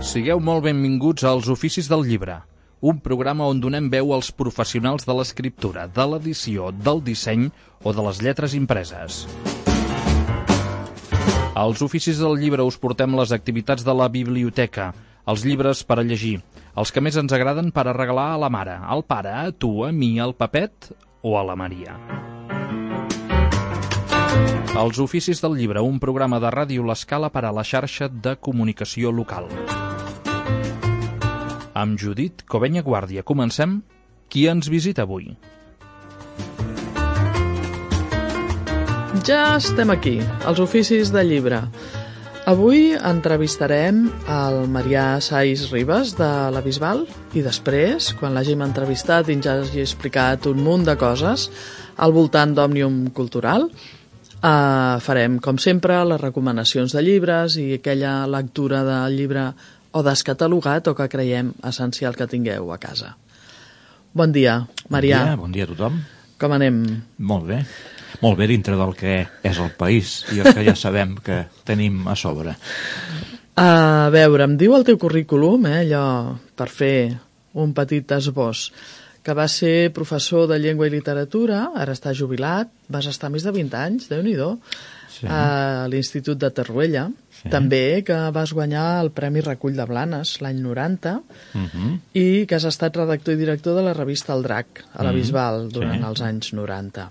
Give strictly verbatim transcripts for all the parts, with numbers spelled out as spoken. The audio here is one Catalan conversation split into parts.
Sigueu molt benvinguts als Oficis del Llibre, un programa on donem veu als professionals de l'escriptura, de l'edició, del disseny o de les lletres impreses. Als Oficis del Llibre us portem les activitats de la biblioteca, els llibres per a llegir, els que més ens agraden per a regalar a la mare, al pare, a tu, a mi, al Pepet o a la Maria. Els Oficis del Llibre, un programa de Ràdio L'Escala per a la xarxa de comunicació local. Amb Judit Covenya Guàrdia comencem. Qui ens visita avui? Ja estem aquí, als Oficis del Llibre. Avui entrevistarem el Marià Sais Ribas de la Bisbal i després, quan l'hàgim entrevistat i ens hagi explicat un munt de coses al voltant d'Òmnium Cultural, eh, farem, com sempre, les recomanacions de llibres i aquella lectura del llibre o descatalogat o que creiem essencial que tingueu a casa. Bon dia, Marià. Bon dia, bon dia a tothom. Com anem? Molt bé. Molt bé dintre del que és el país i el que ja sabem que tenim a sobre. A veure, em diu el teu currículum, eh, allò, per fer un petit esbós, que vas ser professor de llengua i literatura, ara està jubilat, vas estar més de vint anys, Déu-n'hi-do, sí. A l'Institut de Torroella, sí. També que vas guanyar el Premi Recull de Blanes l'any noranta, uh-huh. I que has estat redactor i director de la revista El Drac, a la Bisbal, uh-huh. Durant sí. Els anys noranta.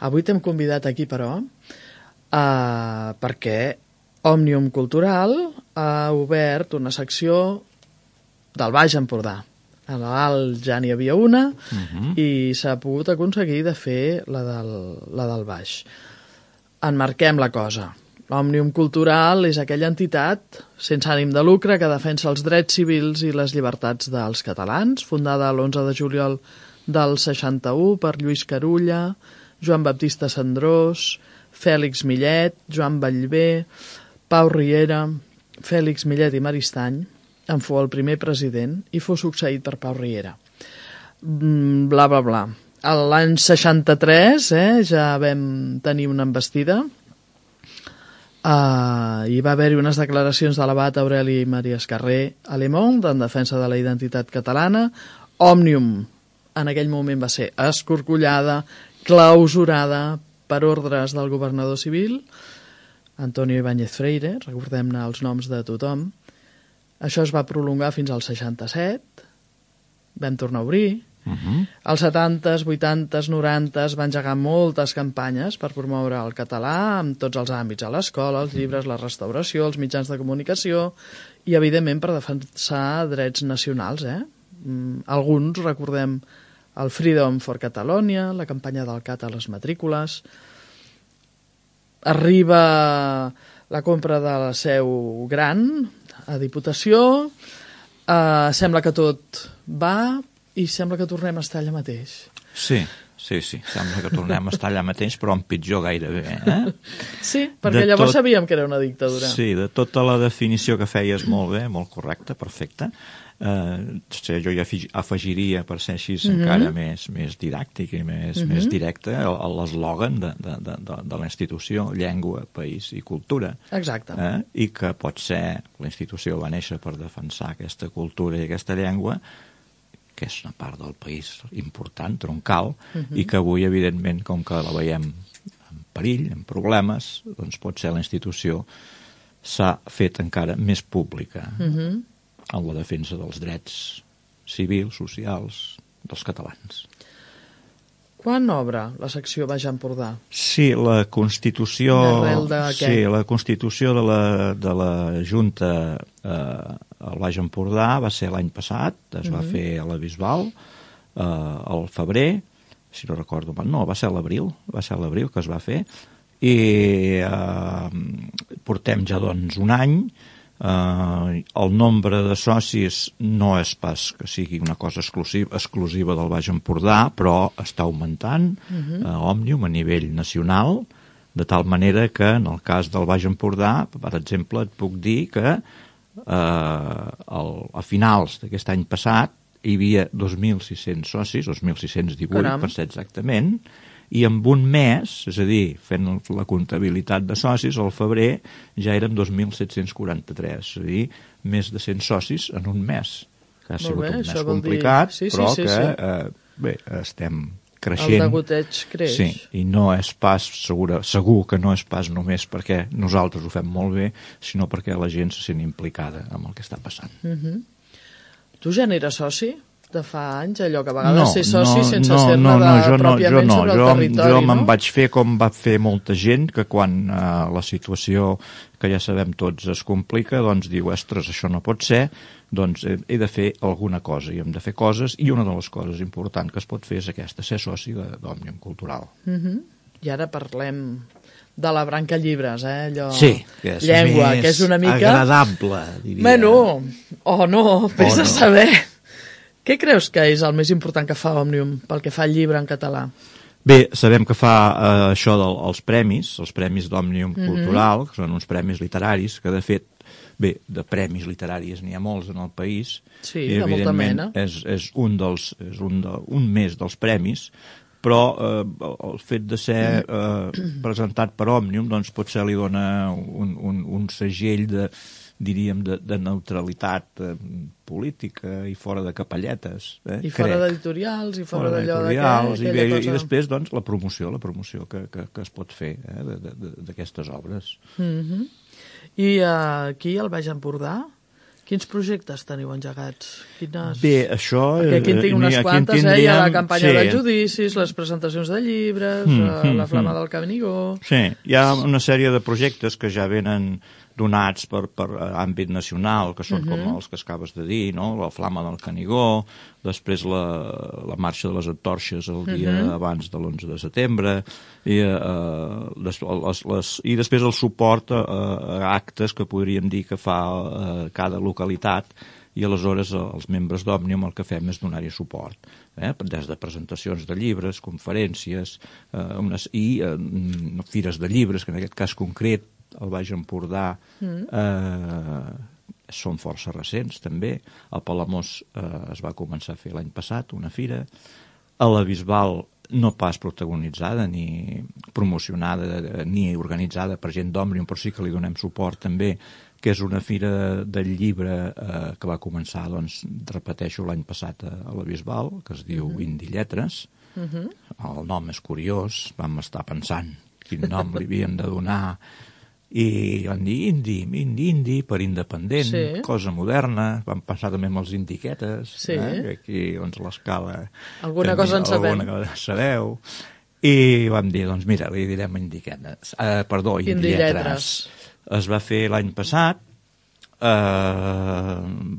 Avui t'hem convidat aquí, però, uh, perquè Òmnium Cultural ha obert una secció del Baix Empordà. A l'Alt ja n'hi havia una, uh-huh. I s'ha pogut aconseguir de fer la del, la del Baix. Enmarquem la cosa. Òmnium Cultural és aquella entitat sense ànim de lucre que defensa els drets civils i les llibertats dels catalans, fundada l'onze de juliol del seixanta-u per Lluís Carulla, Joan Baptista Cendrós, Fèlix Millet, Joan Ballbé, Pau Riera, Fèlix Millet i Maristany. En fou el primer president i fou succeït per Pau Riera. Bla, bla, bla. L'any seixanta-tres eh, ja vam tenir una embestida. Uh, hi va haver-hi unes declaracions de l'abat Aureli Maria Escarré a Le Monde en defensa de la identitat catalana. Òmnium en aquell moment va ser escorcollada, clausurada per ordres del governador civil, Antonio Ibáñez Freire, recordem-ne els noms de tothom. Això es va prolongar fins al seixanta-set, vam tornar a obrir. Uh-huh. Als setantes, vuitantes, norantes va engegar moltes campanyes per promoure el català en tots els àmbits, a l'escola, els llibres, la restauració, els mitjans de comunicació i, evidentment, per defensar drets nacionals. Eh? Mm, alguns recordem el Freedom for Catalonia, la campanya del C A T a les matrícules. Arriba la compra de la seu gran a Diputació, eh, sembla que tot va i sembla que tornem a estar allà mateix. Sí, sí, sí, sembla que tornem a estar allà mateix, però en pitjor gairebé. Eh? Sí, perquè de llavors tot... sabíem que era una dictadura. Sí, de tota la definició que feies molt bé, molt correcta, perfecta. Uh, jo ja afegiria, per ser així, mm-hmm. encara més, més didàctic i més, mm-hmm. més directe, l'eslògan de, de, de, de la institució, llengua, país i cultura. Exacte. Eh? I que pot ser, la institució va néixer per defensar aquesta cultura i aquesta llengua, que és una part del país important, troncal, uh-huh. I que avui, evidentment, com que la veiem en perill, en problemes, doncs pot ser la institució s'ha fet encara més pública uh-huh. en la defensa dels drets civils, socials, dels catalans. Quan obre la secció Baix Empordà? Sí, la Constitució... D'arrel de què? Sí, la Constitució de la, de la Junta eh, al Baix Empordà va ser l'any passat, es va uh-huh. fer a la Bisbal, eh, al febrer, si no recordo mal, no, va ser a l'abril, va ser a l'abril que es va fer, i eh, portem ja doncs un any. Uh, el nombre de socis no és pas que sigui una cosa exclusiva, exclusiva del Baix Empordà, però està augmentant uh-huh. uh, Òmnium a nivell nacional, de tal manera que en el cas del Baix Empordà, per exemple, et puc dir que uh, el, a finals d'aquest any passat hi havia dos mil sis-cents socis, dos mil sis-cents divuit per ser exactament, i en un mes, és a dir, fent la comptabilitat de socis, al febrer ja érem dos mil set-cents quaranta-tres, és a dir, més de cent socis en un mes, que ha Molt sigut bé, un això mes vol complicat, dir- sí, sí, però sí, que, sí. eh, bé, estem El creixent. degoteig creix. Sí, i no és pas, segura, segur que no és pas només perquè nosaltres ho fem molt bé, sinó perquè la gent se sent implicada amb el que està passant. Mhm. Tu ja n'eres soci de fa anys, allò que a vegades No, ser soci no, sense no, ser-ne no, no, de, jo no, pròpiament jo no, sobre el jo, territori, jo no? me'n vaig fer com va fer molta gent, que quan eh, la situació, que ja sabem tots, es complica, doncs diu, ostres, això no pot ser, doncs he, he de fer alguna cosa, i hem de fer coses, i una de les coses importants que es pot fer és aquesta, ser soci de- d'Òmnium Cultural. Mhm. I ara parlem de la branca llibres, eh? Allò... Sí, que és llengua, més que és una mica... agradable, diria. Bueno, o no, vés O a no. saber. Què creus que és el més important que fa Òmnium pel que fa al llibre en català? Bé, sabem que fa eh, això dels premis, els premis d'Òmnium Mhm. Cultural, que són uns premis literaris, que de fet, bé, de premis literaris n'hi ha molts en el país, Sí, i de molta evidentment mena. és, és un dels, és un, de, un més dels premis, però eh, el fet de ser eh, presentat per Òmnium, doncs potser li dona un, un, un segell de, diríem, de, de neutralitat eh, política i fora de capelletes. Eh, I fora crec. d'editorials, i fora Fora d'allò de què... d'editorials, i, bé, aquella i cosa. després doncs, la promoció, la promoció que, que, que es pot fer eh, de- de- de- d'aquestes obres. Mhm. I uh, aquí, al Baix Empordà, quins projectes teniu engegats? Quines... Bé, això... Perquè aquí en tinc eh, unes aquí en quantes, eh? Hi ha tindríem- la campanya sí. de judicis, les presentacions de llibres, Mm, eh, mm, la Flama mm. del Canigó... Sí, hi ha una sèrie de projectes que ja venen donats per, per àmbit nacional, que són Mhm. com els que acabes de dir, no? La Flama del Canigó, després la, la marxa de les antorxes el dia Mhm. abans de l'onze de setembre, i, eh, les, les, les, i després el suport a, a actes que podríem dir que fa eh, cada localitat, i aleshores eh, els membres d'Òmnium el que fem és donar-hi suport, eh? Des de presentacions de llibres, conferències, eh, unes, i eh, fires de llibres, que en aquest cas concret el Baix Empordà eh, són força recents també. A Palamós eh, es va començar a fer l'any passat una fira, a la Bisbal no pas protagonitzada ni promocionada ni organitzada per gent d'Òmnium, però sí que li donem suport també, que és una fira del llibre eh, que va començar, doncs, repeteixo, l'any passat a, a la Bisbal, que es diu Mhm. Indi Lletres. Mhm. El nom és curiós, vam estar pensant quin nom li havien de donar, i van dir indi, indi, indi, per independent, Sí. cosa moderna, vam passar també amb els indiquetes, Sí. eh? que aquí doncs, l'escala... Alguna cosa en sabem. Alguna cosa en sabeu. I vam dir, doncs mira, li direm indiquetes, eh, perdó, Indi indilletres. Lletres. Es va fer l'any passat, eh,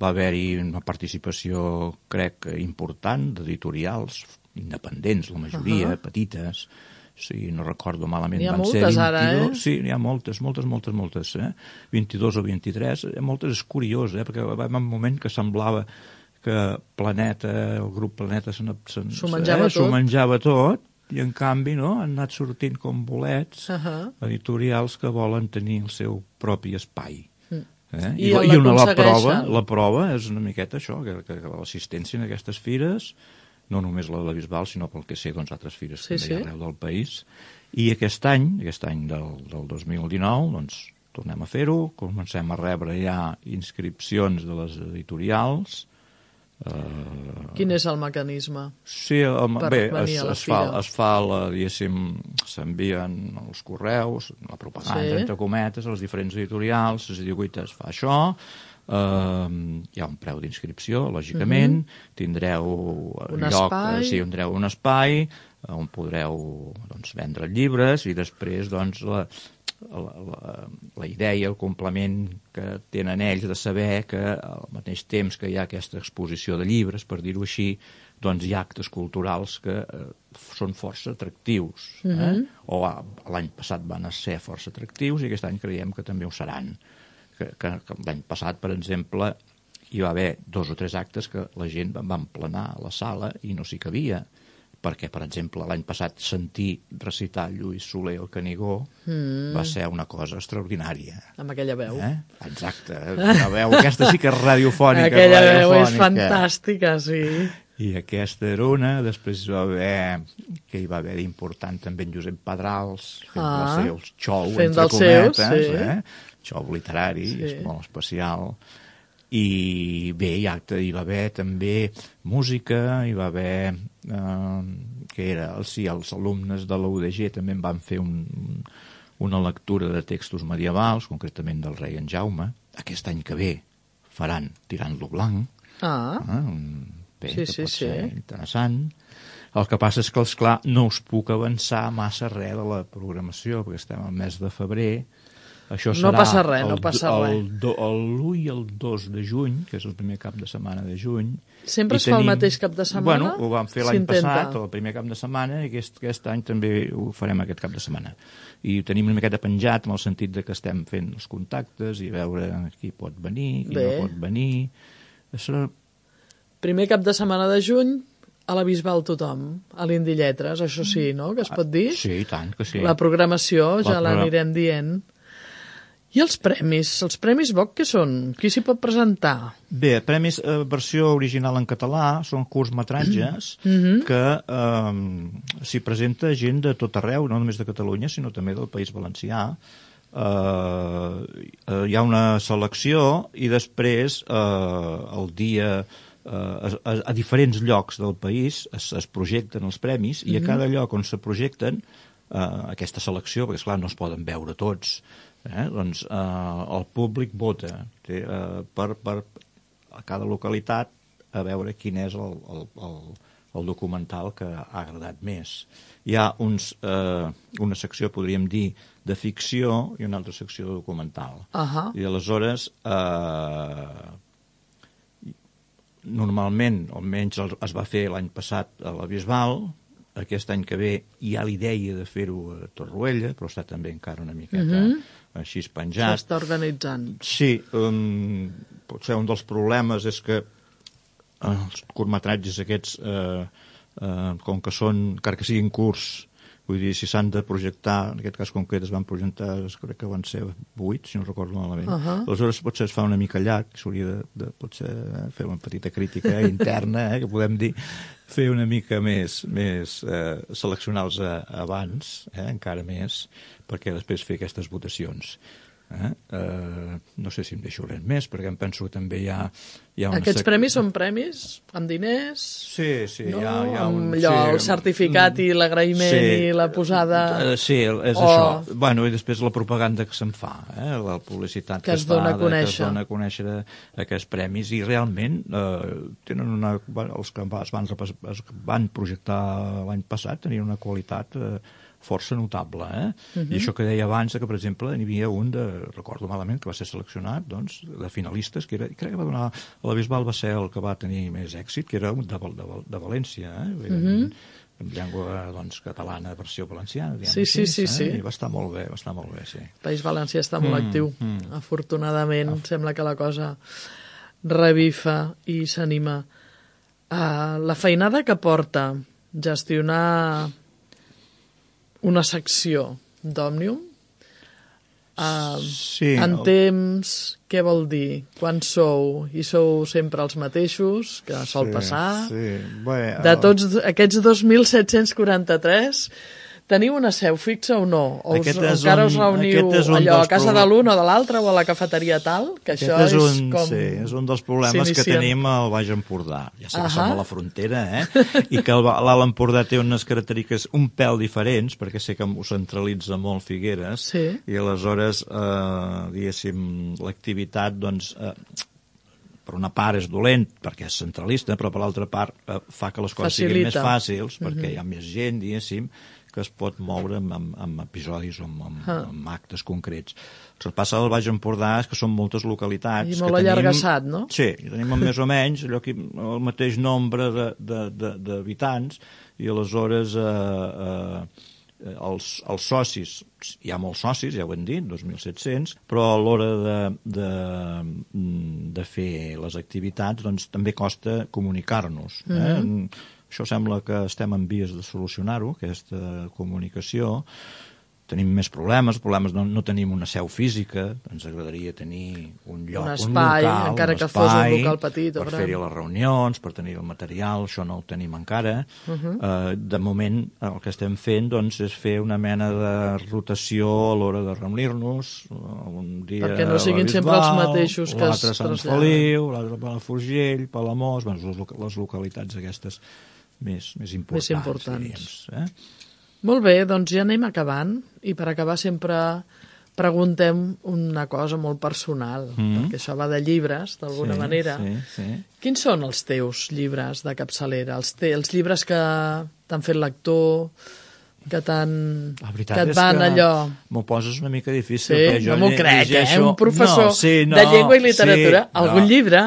va haver-hi una participació, crec, important, d'editorials independents, la majoria, Ahà. petites, si no recordo malament, N'hi ha van ser moltes ara, vint-i-dos, eh? sí, n'hi ha moltes, moltes, moltes, moltes, eh? vint-i-dos o vint-i-tres, eh, moltes és curiós, eh? Perquè va haver un moment que semblava que Planeta, el grup Planeta se n'ha- se- S'ho menjava eh, tot. s'ho menjava tot, i en canvi no, han anat sortint com bolets Ahà. editorials que volen tenir el seu propi espai. Mm. Eh? I I, el I una, la aconsegueixen. prova, la prova és una miqueta això, que, que, que l'assistència en aquestes fires, no només la de la Bisbal, sinó pel que sé, doncs, altres fires Sí, sí, també sí. sí. arreu del país. I aquest any, aquest any del, del dos mil dinou, doncs, tornem a fer-ho, comencem a rebre ja inscripcions de les editorials. Eh, Quin és el mecanisme? Sí, el, Per bé, venir es, a la es, fa, fira? es fa, la, diguéssim, s'envien els correus, la propaganda, Sí. entre cometes, als diferents editorials, es diu, guaita, es fa això, eh, hi ha un preu d'inscripció, lògicament, tindreu Un lloc, espai. eh, sí, tindreu un espai eh, on podreu doncs, vendre llibres, i després doncs, la, la, la, la idea, el complement que tenen ells de saber que al mateix temps que hi ha aquesta exposició de llibres, per dir-ho així, doncs hi ha actes culturals que eh, són força atractius. Eh? Mhm. O ah, l'any passat van ser força atractius i aquest any creiem que també ho seran. Que, que, que l'any passat, per exemple, hi va haver dos o tres actes que la gent va emplenar a la sala i no s'hi cabia, perquè, per exemple, l'any passat sentir recitar Lluís Soler el Canigó Mm. va ser una cosa extraordinària. Amb aquella veu. Eh? Exacte, la veu, aquesta sí que és radiofònica. Aquella veu és radiofònica. fantàstica, sí. I aquesta era una, després va haver, que hi va haver d'important també en Josep Pedrals, fent ah, el seu xou, entre cometes, seus, sí. eh? xou literari, sí. és molt especial. I bé, hi, hi va haver també música, hi va haver, eh, que era, sí, els alumnes de la U D G també en van fer un, una lectura de textos medievals, concretament del rei en Jaume. Aquest any que ve faran Tirant-lo blanc, ah. eh? Bé, sí, que sí, pot sí. ser interessant. El que passa és que, esclar, no us puc avançar massa res de la programació, perquè estem al mes de febrer. Això serà no passa res, el, no passa el, res. l'u i el dos de juny, que és el primer cap de setmana de juny. Sempre es tenim... fa el mateix cap de setmana? Bueno, ho vam fer l'any passat, el primer cap de setmana, i aquest, aquest any també ho farem aquest cap de setmana. I ho tenim una miqueta penjat, en el sentit de que estem fent els contactes i veure qui pot venir, qui Bé. no pot venir. Això... Primer cap de setmana de juny, a la Bisbal tothom, a l'Indi Lletres, això sí, no?, que es pot dir? Sí, i tant que sí. La programació ja la l'anirem dient. I els premis? Els premis B O C què són? Qui s'hi pot presentar? Bé, premis eh, versió original en català són curtmetratges mm-hmm. que eh, s'hi presenta gent de tot arreu, no només de Catalunya, sinó també del País Valencià. Eh, eh, hi ha una selecció i després eh, el dia... Uh, a, a diferents llocs del país es, es projecten els premis i a cada lloc on se projecten uh, aquesta selecció, perquè esclar no es poden veure tots, eh? doncs uh, el públic vota té, uh, per, per a cada localitat a veure quin és el, el, el, el documental que ha agradat més. Hi ha uns, uh, una secció, podríem dir, de ficció i una altra secció de documental. Uh-huh. I aleshores uh, normalment, almenys es va fer l'any passat a la Bisbal, aquest any que ve hi ha l'idea de fer-ho a Torroella, però està també encara una miqueta uh-huh. així penjat. S'està organitzant. Sí, um, potser un dels problemes és que uh, els curtmetratges aquests, uh, uh, com que són, encara que siguin curts, vull dir, si s'han de projectar, en aquest cas concret es van projectar, crec que van ser vuit, si no recordo malament. Uh-huh. Aleshores potser es fa una mica llarg, s'hauria de, de potser fer una petita crítica interna, eh, que podem dir, fer una mica més, més eh, seleccionar-los abans, eh, encara més, perquè després fer aquestes votacions. Eh? Uh, no sé si em deixo res més, perquè em penso que també hi ha... hi ha Aquests sec... premis són premis amb diners? Sí, sí. No? Hi ha, hi ha un, amb allò, sí, el certificat i l'agraïment sí, i la posada... Uh, sí, és o... això. Bueno, i després la propaganda que se'n fa, eh? La publicitat que, que, es, es dona fa, a conèixer. que es dona a conèixer aquests premis, i realment eh, tenen una... els que es van, es van projectar l'any passat tenien una qualitat... Eh, força notable, eh? Uh-huh. I això que deia abans, que per exemple n'hi havia un de, recordo malament, que va ser seleccionat, doncs, de finalistes, que era, crec que va donar, a la Bisbal va ser el que va tenir més èxit, que era un de, de, de València, eh? Uh-huh. En llengua, doncs, catalana, versió valenciana, diguem sí, sí, sí, eh? sí. I va estar molt bé, va estar molt bé, sí. El País Valencià està molt mm, actiu. Mm. Afortunadament, ah. sembla que la cosa revifa i s'anima. Uh, la feinada que porta gestionar una secció d'Òmnium, uh, sí, en el... temps, què vol dir? Quan sou? I sou sempre els mateixos, que sol sí, passar? Sí. Bé, de tots aquests dos mil set-cents quaranta-tres, teniu una seu fixa o no? O us, encara un, us reuniu allò a casa de l'un o de l'altre o a la cafeteria tal? Que aquest això és, un, és com... Sí, és un dels problemes que tenim al Baix Empordà. Ja sé que uh-huh. som a la frontera, eh? I que l'Alt Empordà té unes característiques un pèl diferents, perquè sé que ho centralitza molt Figueres, sí. i aleshores, eh, diguéssim, l'activitat, doncs... Eh, per una part és dolent perquè és centralista, però per l'altra part eh, fa que les coses Facilita. siguin més fàcils, perquè uh-huh. hi ha més gent, diguéssim, que es pot moure amb, amb, amb episodis o amb, amb, ah. amb actes concrets. El que passa al Baix Empordà és que són moltes localitats. I molt allargassat, no? Sí, i tenim més o menys allò aquí, el mateix nombre d'habitants, i aleshores eh, eh, els, els socis, hi ha molts socis, ja ho hem dit, dos mil set-cents, però a l'hora de, de, de fer les activitats doncs, també costa comunicar-nos. Eh? Mm-hmm. Això sembla que estem en vies de solucionar-ho, aquesta comunicació, tenim més problemes, problemes no, no tenim una seu física, ens agradaria tenir un lloc, un un, espai, local, encara un que espai, fos un local petit, per fer-hi les reunions, per tenir el material, això no ho tenim encara. Uh -huh. uh, de moment el que estem fent doncs, és fer una mena de rotació a l'hora de reunir-nos, un dia perquè no siguin Bisbal, sempre els mateixos que es l'altre Sant traslladen. Feliu, l'altre Palafrugell, Palamós, bueno, les, les localitats aquestes més, més importants. Més importants. Diríem, eh? Molt bé, doncs ja anem acabant, i per acabar sempre preguntem una cosa molt personal, mm. perquè això va de llibres, d'alguna sí, manera. Sí, sí. Quins són els teus llibres de capçalera? Els, te, els llibres que t'han fet lector, que, que et van allò... M'ho poses una mica difícil. Sí, jo no m'ho crec, llegeixo... eh? Un professor no, sí, no, de llengua i literatura, sí, algun no. llibre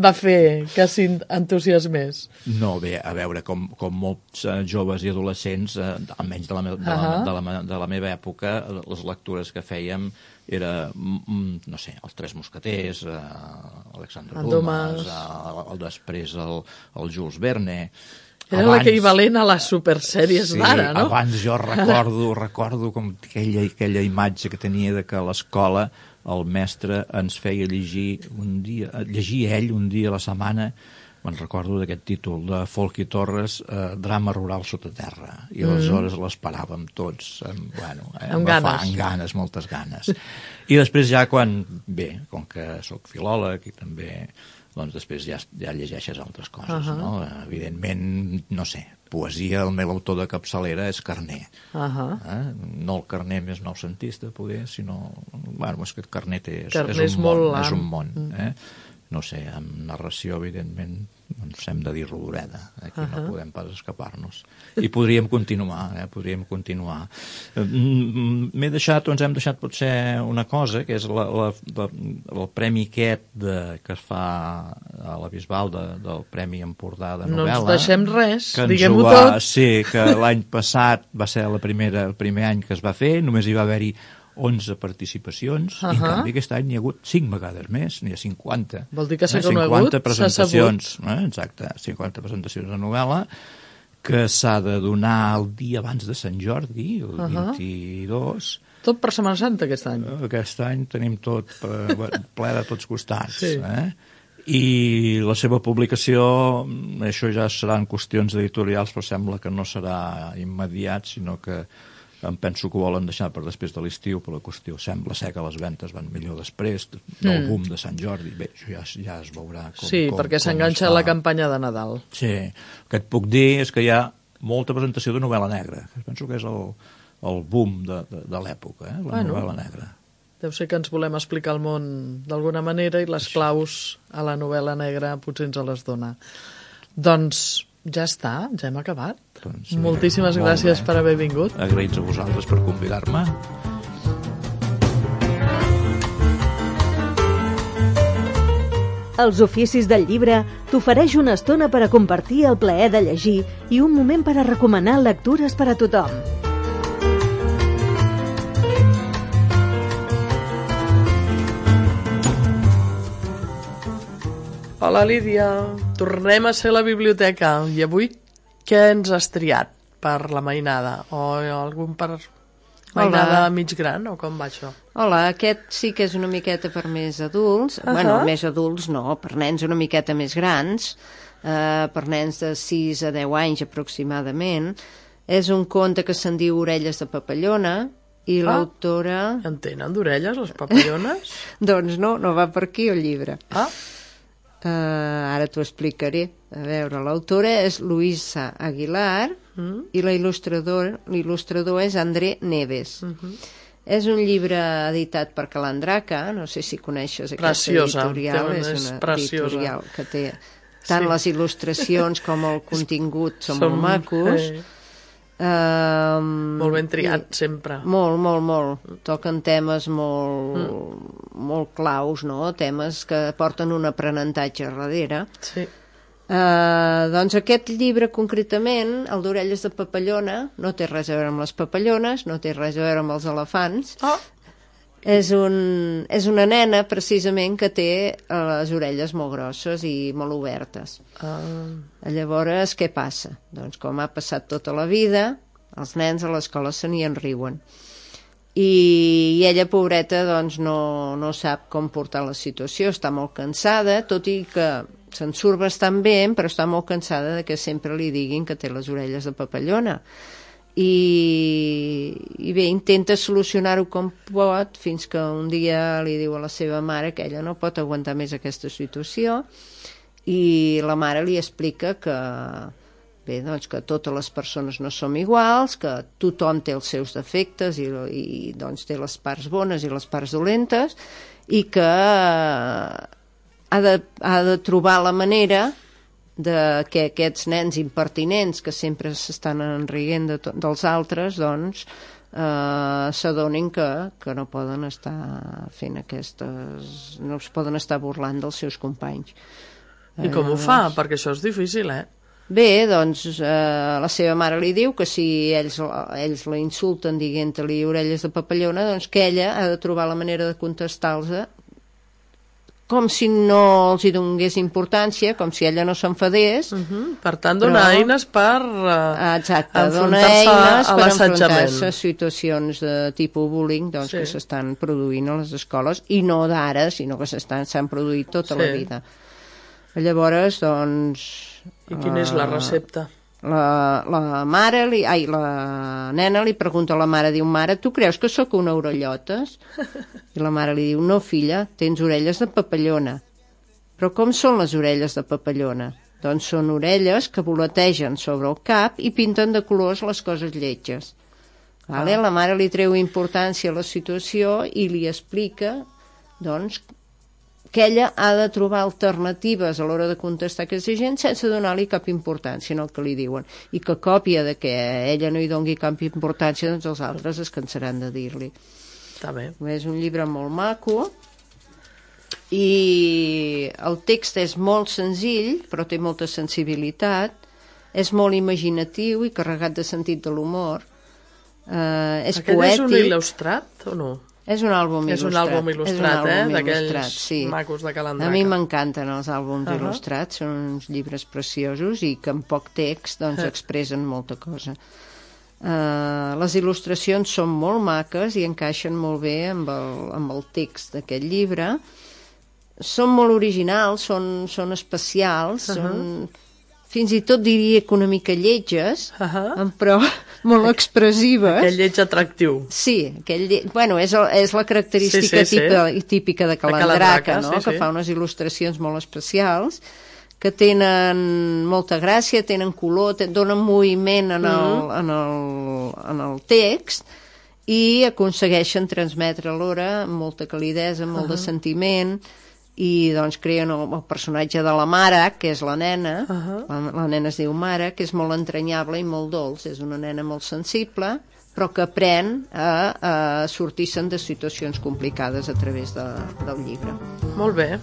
va fer que s'entusiasmés. No, bé, a veure, com, com molts uh, joves i adolescents, uh, almenys de la, me, de, la, uh-huh. de, la, de la meva època, les lectures que fèiem era, mm, no sé, els Tres Mosqueters, uh, Alexandre Dumas, uh, el, després el, el Jules Verne... Era abans, l'equivalent a les supersèries sí, d'ara, no? Abans jo recordo, recordo com aquella, aquella imatge que tenia de que a l'escola el mestre ens feia llegir un dia, llegir ell un dia a la setmana, me'n recordo d'aquest títol, de Folchi Torres, eh, Drama rural sota terra, i aleshores mm. l'esperàvem tots, amb, bueno, eh, amb ganes. Fa, amb ganes, moltes ganes. I després ja quan, bé, com que sóc filòleg i també... doncs després ja, ja llegeixes altres coses, uh-huh. no? Evidentment, no sé, poesia, el meu autor de capçalera és Carner. Uh-huh. Eh? No el Carner més noucentista, poder, sinó... Bueno, és que Carner té, és, és, un món, és un món. Eh? No sé, amb narració, evidentment, doncs hem de dir Rodoreda. Aquí uh-huh. no podem pas escapar-nos. I podríem continuar, eh? Podríem continuar. M'he deixat, o ens hem deixat potser una cosa, que és la, la, la, el premi aquest de, que es fa a la Bisbal de, del Premi Empordà de novel·la. No ens deixem res, diguem-ho tot. Sí, que l'any passat va ser la primera, el primer any que es va fer, només hi va haver-hi onze participacions, uh-huh. i en canvi aquest any n'hi ha hagut cinc vegades més, n'hi ha cinquanta. Vol dir que s'ha eh? conegut, cinquanta presentacions, eh? Exacte, cinquanta presentacions de novel·la, que s'ha de donar el dia abans de Sant Jordi, el uh-huh. vint-i-dos. Tot per Setmana Santa aquest any. Aquest any tenim tot ple de tots costats. Sí. Eh? I la seva publicació, això ja seran qüestions editorials, però sembla que no serà immediat, sinó que em penso que ho volen deixar per després de l'estiu, per la qüestió sembla ser que les ventes van millor després del mm. boom de Sant Jordi. Bé, això ja, ja es veurà com, sí, com, perquè com s'enganxa la campanya de Nadal. Sí, el que et puc dir és que hi ha molta presentació de novel·la negra. Penso que és el, el boom de, de, de l'època, eh? la bueno, novel·la negra. Deu ser que ens volem explicar el món d'alguna manera i les claus a la novel·la negra potser ens les dona. Doncs ja està, ja hem acabat. Doncs, moltíssimes molt gràcies bé. Per haver vingut. Agraïts a vosaltres per convidar-me. Els oficis del llibre t'ofereix una estona per a compartir el plaer de llegir i un moment per a recomanar lectures per a tothom. Hola, Lídia. Tornem a ser a la biblioteca. I avui què ens has triat per la mainada? O algun per mainada Hola. Mig gran? O com va això? Hola, aquest sí que és una miqueta per més adults. Uh-huh. Bueno, més adults no, per nens una miqueta més grans, eh, per nens de sis a deu anys aproximadament. És un conte que se'n diu Orelles de papallona, i ah, l'autora... En tenen d'orelles, les papallones? Doncs no, no va per aquí el llibre. Ah. Uh, ara t'ho explicaré. A veure, l'autora és Luisa Aguilar mm. i la il·lustrador, l'il·lustrador és André Neves. Mm-hmm. És un llibre editat per Calandraca, no sé si coneixes aquesta preciosa, editorial. És una preciosa. Editorial que té tant sí. les il·lustracions com el contingut són, són molt macos. Eh. Um, molt ben triat, i, sempre. Molt, molt, molt. Toquen temes molt, mm. molt claus, no? Temes que porten un aprenentatge darrere. Sí. Uh, doncs aquest llibre concretament, el d'Orelles de papallona, no té res a veure amb les papallones, no té res a veure amb els elefants. Oh. És, un, és una nena, precisament, que té les orelles molt grosses i molt obertes. Ah. Llavors, què passa? Doncs com ha passat tota la vida, els nens a l'escola se n'hi enriuen. I, i ella, pobreta, doncs no, no sap com portar la situació, està molt cansada, tot i que se'n surt bastant bé, però està molt cansada de que sempre li diguin que té les orelles de papallona. I, i bé, intenta solucionar-ho com pot, fins que un dia li diu a la seva mare que ella no pot aguantar més aquesta situació, i la mare li explica que bé, doncs que totes les persones no som iguals, que tothom té els seus defectes i, i doncs té les parts bones i les parts dolentes, i que ha de, ha de trobar la manera de que aquests nens impertinents que sempre s'estan enrient de dels altres, doncs eh, s'adonin que, que no poden estar fent aquestes... no es poden estar burlant dels seus companys. I com ho fa? Perquè això és difícil, eh? Bé, doncs eh, la seva mare li diu que si ells, ells la insulten dient-li orelles de papallona, doncs que ella ha de trobar la manera de contestar-los com si no els hi donés importància, com si ella no s'enfadés. Uh-huh. Per tant, donar però... eines per uh, Exacte, donar eines per enfrontar-se a situacions de tipus bullying, doncs, sí, que s'estan produint a les escoles, i no d'ara, sinó que s'han produït tota sí. la vida. Llavors, doncs... I quina és la recepta? La, la mare, li, ai, la nena li pregunta a la mare, diu, mare, tu creus que sóc una orellotes? I la mare li diu, no, filla, tens orelles de papallona. Però com són les orelles de papallona? Doncs són orelles que voletegen sobre el cap i pinten de colors les coses lletges. Vale? Ah. La mare li treu importància a la situació i li explica, doncs, que ella ha de trobar alternatives a l'hora de contestar a aquesta gent sense donar-li cap importància en el que li diuen, i que a còpia de que ella no hi doni cap importància, doncs els altres es cansaran de dir-li. Està bé. És un llibre molt maco i el text és molt senzill però té molta sensibilitat, és molt imaginatiu i carregat de sentit de l'humor, eh, és Aquest poètic. És un il·lustrat o no? És un àlbum il·lustrat. És un àlbum il·lustrat, eh? D'aquells sí. macos de calendraca. A mi m'encanten els àlbums uh -huh. il·lustrats, són uns llibres preciosos i que amb poc text doncs, uh. expressen molta cosa. Uh, les il·lustracions són molt maques i encaixen molt bé amb el, amb el text d'aquest llibre. Són molt originals, són, són especials, uh -huh. són... fins i tot diria que una mica lletges, uh -huh. però molt expressives. Aquell lleig atractiu. Sí, aquell lle... bueno, és, el, és la característica sí, sí, típica, sí. típica de Calandraca, no? Sí, que sí. fa unes il·lustracions molt especials, que tenen molta gràcia, tenen color, ten... donen moviment en el, uh -huh. en, el, en el text i aconsegueixen transmetre alhora molta calidesa, molt uh -huh. de sentiment, i doncs creen el, el personatge de la mare, que és la nena, uh -huh. la, la nena es diu Mare, que és molt entranyable i molt dolç, és una nena molt sensible, però que aprèn a, a sortir-se'n de situacions complicades a través de, del llibre. Molt bé.